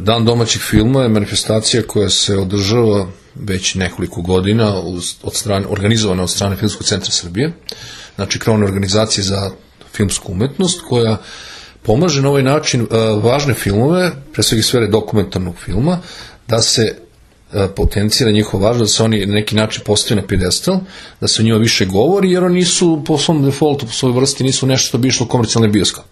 Dan domaćih filma je manifestacija koja se održava već nekoliko godina organizovana od strane Filmskog centra Srbije, znači krovne organizacije za filmsku umetnost, koja pomaže na ovaj način važne filmove, pre svega sfere dokumentarnog filma, da se potencijira njihova važnost, da se oni na neki način postave na pijedestal, da se o njima više govori, jer oni nisu po svom defaultu, po svojoj vrsti, nisu nešto što bi išlo u komercijalni bioskop.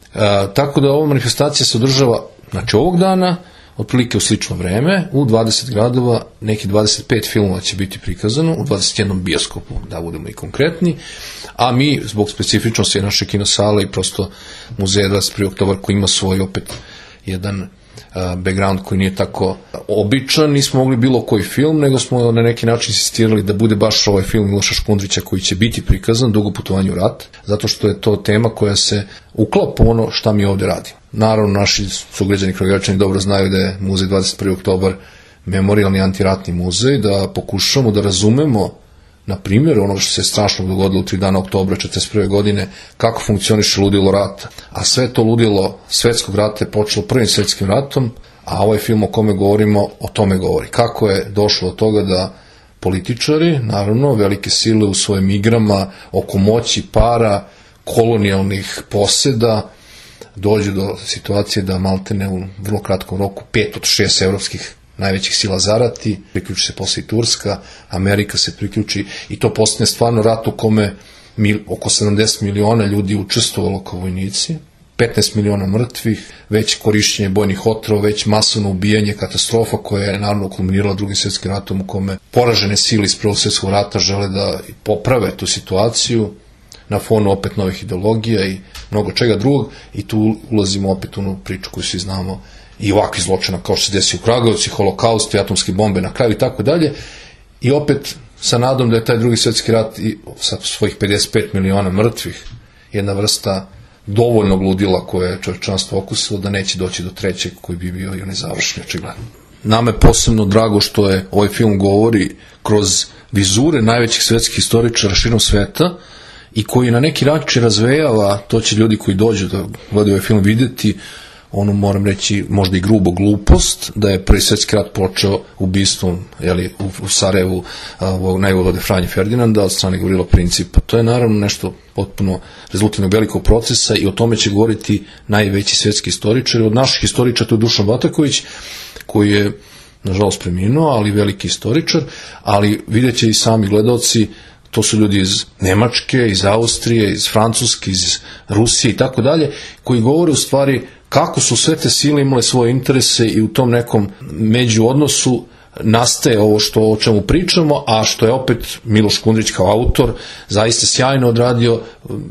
Tako da ova manifestacija se održava, znači ovog dana, otprilike u slično vreme, u 20 gradova, neki 25 filmova će biti prikazano, u 21 bioskopu, da budemo i konkretni, a mi, zbog specifičnosti naše kinosale i prosto muzeja 21. oktobar koji ima svoj opet jedan background koji nije tako običan, nismo mogli bilo koji film, nego smo na neki način insistirali da bude baš ovaj film Miloša Škundrića koji će biti prikazan, Dugo putovanje u rat, zato što je to tema koja se uklapa u ono šta mi ovde radimo. Naravno, naši sugrađani Kragujevačani dobro znaju da je muzej 21. oktobar memorijalni antiratni muzej, da pokušamo da razumemo na primjer ono što se strašno dogodilo u 3 dana oktobra 1941. godine, kako funkcioniše ludilo rata. A sve to ludilo svetskog rata je počelo Prvim svetskim ratom, a ovaj film o kome govorimo, o tome govori. Kako je došlo od toga da političari, naravno, velike sile u svojim igrama oko moći, para, kolonijalnih poseda, dođu do situacije da maltene u vrlo kratkom roku 5 od 6 evropskih najvećih sila zarati, priključi se posle i Turska, Amerika se priključi i to postane stvarno rat u kome oko 70 miliona ljudi učestvovalo kao vojnici, 15 miliona mrtvih, već korišćenje bojnih otrova, već masovno ubijanje, katastrofa koja je naravno kulminirala Drugim svjetskim ratom u kome poražene sile iz Prvog svjetskog rata žele da poprave tu situaciju na fonu opet novih ideologija i mnogo čega drugog i tu ulazimo opet u onu priču koju svi znamo i ovakvi zločina kao što se desi u Kragujevcu, holokaust i atomske bombe na kraju i tako dalje i opet sa nadom da je taj Drugi svjetski rat i sa svojih 55 miliona mrtvih jedna vrsta dovoljnog ludila koje je čovječanstvo okusilo da neće doći do trećeg koji bi bio i onaj završni očigledno. Nama je posebno drago što je ovaj film govori kroz vizure najvećih svjetskih historičara širom sveta i koji na neki način razvejava, to će ljudi koji dođu da gledaju ovaj film vidjeti, onu moram reći možda i grubo glupost, da je Prvi svjetski rat počeo ubistvom u Sarajevu najvojvode Franje Ferdinanda od strane Gavrila Principa. To je naravno nešto potpuno rezultat velikog procesa i o tome će govoriti najveći svjetski istoričar. Od naših historičara to je Dušan Bataković, koji je nažalost preminuo, ali veliki istoričar, ali vidjet će i sami gledalci, to su ljudi iz Nemačke, iz Austrije, iz Francuske, iz Rusije i tako dalje, koji govore u stvari kako su sve te sile imale svoje interese i u tom nekom međuodnosu nastaje ovo o čemu pričamo, a što je opet Miloš Škundrić kao autor zaista sjajno odradio,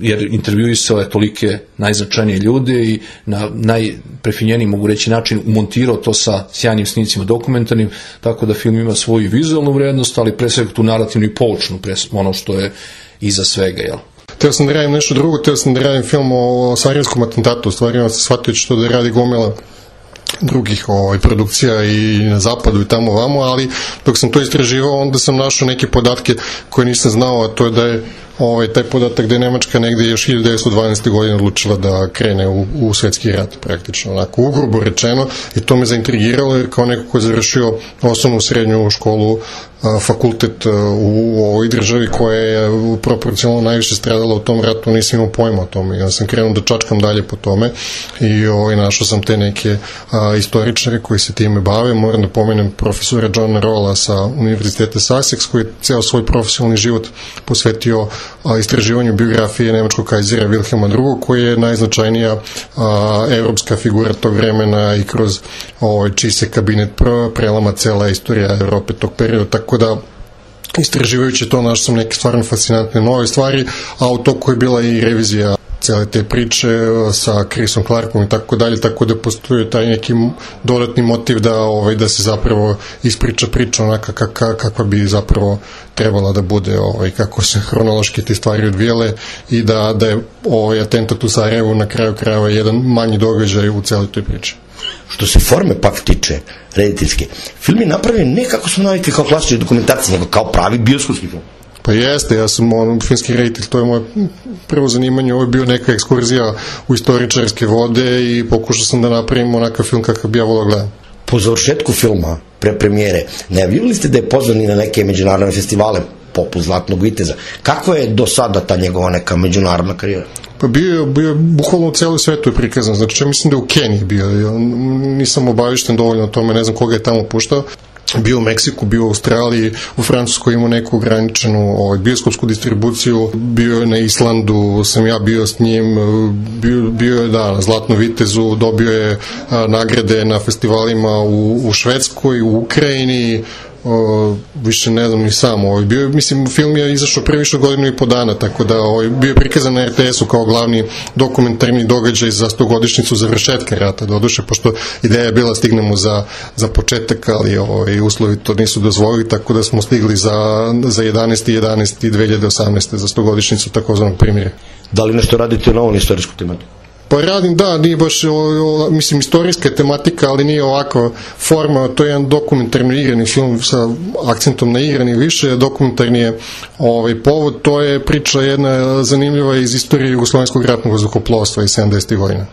jer intervjuisao je tolike najznačajnije ljude i na najprefinjeniji, mogu reći, način umontirao to sa sjajnim snimcima dokumentarnim, tako da film ima svoju vizualnu vrednost, ali pre svega tu narativnu i poučnu, ono što je iza svega, jel? Teo sam da radim nešto drugo, teo sam da radim film o Sarajevskom atentatu, u stvari sam shvatio što da radi gomila drugih produkcija i na zapadu i tamo vamo, ali dok sam to istraživao onda sam našao neke podatke koje nisam znao, a to je da je taj podatak da je Nemačka negde još 1912. godine odlučila da krene u svetski rat, praktično, onako ugrubo rečeno, i to me zaintrigiralo jer kao neko ko je završio osnovnu srednju školu, fakultet u ovoj državi koja je proporcionalno najviše stradala u tom ratu, nisam imao pojma o tome. Ja sam krenuo da čačkam dalje po tome i našao sam te neke istoričare koji se time bave. Moram da pomenem profesora Johna Rawla sa Univerziteta Sussex, koji je ceo svoj profesionalni život posvetio istraživanju biografije nemačkog kajzera Wilhelma II, koji je najznačajnija evropska figura tog vremena i kroz čiji se kabinet prelama cela istorija Evrope tog perioda, tako da istraživajući to našao sam neke stvarno fascinantne nove stvari, a u toku je bila i revizija cele te priče sa Chrisom Clarkom i tako dalje, tako da postoji taj neki dodatni motiv da se zapravo ispriča priča onaka kakva bi zapravo trebala da bude, kako se hronološki te stvari odvijele i da je atentat u Sarajevu na kraju krajeva jedan manji događaj u celoj toj priči. Što se forme pak tiče rediteljske, film je napravljen ne kako smo navikli kao klasični dokumentarci, nego kao pravi bioskopski film. Pa jeste, ja sam filmski reditelj, to je moje prvo zanimanje, ovo je bio neka ekskurzija u istoričarske vode i pokušao sam da napravim onakav film kakav bi ja volao gledam. po završetku filma, pre premijere, najavljivali ste da je pozvan i na neke međunarodne festivale, poput Zlatnog viteza. Kako je do sada ta njegova neka međunarodna karijera? Pa bio je bukvalno u celoj svetu je prikazan, znači ja mislim da je u Keniji bio, nisam obavišten dovoljno o tome, ne znam koga je tamo puštao, bio u Meksiku, bio u Australiji, u Francuskoj imao neku ograničenu bioskopsku distribuciju, bio je na Islandu, sam ja bio s njim, bio je na Zlatnom vitezu, dobio je nagrade na festivalima u Švedskoj, u Ukrajini, više ne znam ni sam, mislim film je izašao pre više godinu i po dana, tako da bio je prikazan na RTS-u kao glavni dokumentarni događaj za 100-godišnjicu završetka rata, doduše, pošto ideja je bila stignemo za početak, ali uslovi to nisu dozvolili, tako da smo stigli za 11.11.2018. za 100-godišnjicu takozvanog primirja. Da li nešto radite na ovom istorijsku tematiku? Pa radim, da, nije baš, mislim, istorijska tematika, ali nije ovakva forma, to je jedan dokumentarni igrani film sa akcentom na igrani više, dokumentarni je povod, to je priča jedna zanimljiva iz istorije Jugoslovenskog ratnog vazduhoplovstva iz 70. godina.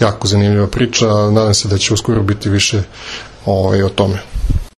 Jako zanimljiva priča, nadam se da će uskoro biti više o tome.